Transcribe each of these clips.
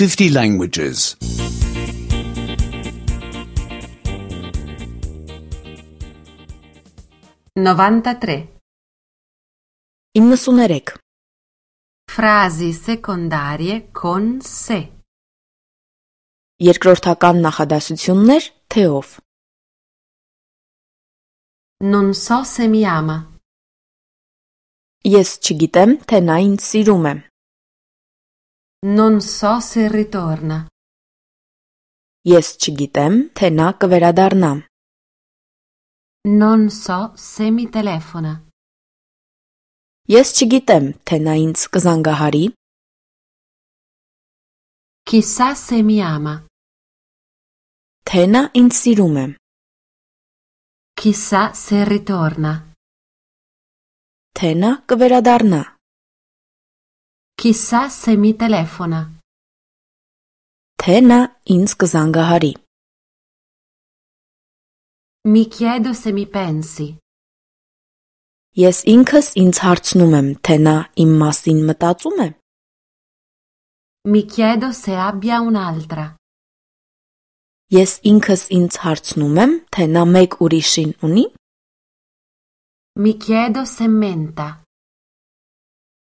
50 languages. 93. 93. Frasi secondarie con se. Երկրորդական նախադասություններ թեով. Non so se mi ama. Ես չգիտեմ, թե նա ինձ սիրում է. Non so se ritorna. Ես չգիտեմ, թե նա կվերադառնա. Non so se mi telefona. Ես չգիտեմ, թե նա ինձ կզանգահարի. Chissà se mi ama. Թե նա ինձ սիրում է. Chissà se ritorna. Թե նա կվերադառնա. Chissà se mi telefona. Թե նա ինձ կզանգահարի. Mi chiedo se mi pensi. Ես ինքս ինձ հարցնում եմ, թե նա իմ մասին մտածում է. Mi chiedo se abbia un'altra. Ես ինքս ինձ հարցնում եմ, թե նա մեկ ուրիշին ունի. Mi chiedo se menta.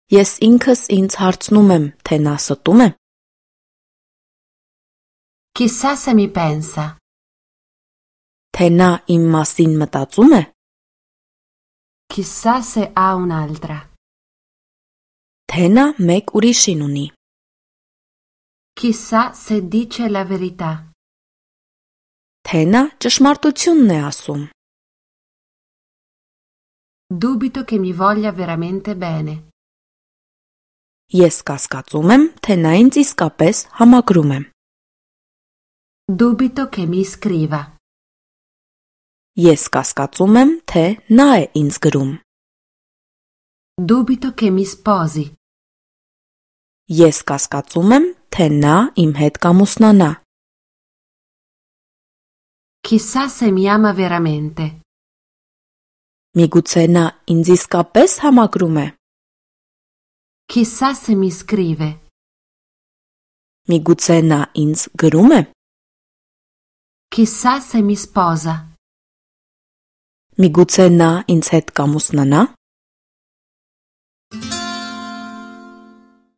Ես ինքս ինձ հարցնում եմ, թե նա ստում է. Chissà se mi pensa. Թե նա իմ մասին մտածում է. Chissà se ha un'altra. Թե նա մեկ ուրիշին ունի. Chissà se dice la verità. Թե նա ճշմարտությունն է ասում. Dubito che mi voglia veramente bene. Ես կասկածում եմ, թե նա ինձ իսկապես համակրում է. Dubito che mi scriva. Ես կասկածում եմ, թե նա է ինձ գրում. Dubito che mi sposi. Ես կասկածում եմ, թե նա իմ հետ կամուսնանա. Chissà se mi ama veramente. Միգուցե նա ինձ իսկապես համակրում է. Chissà se mi scrive. Միգուցե նա ինձ գրում է. Chissà se mi sposa. Միգուցե նա ինձ հետ կամուսնանա.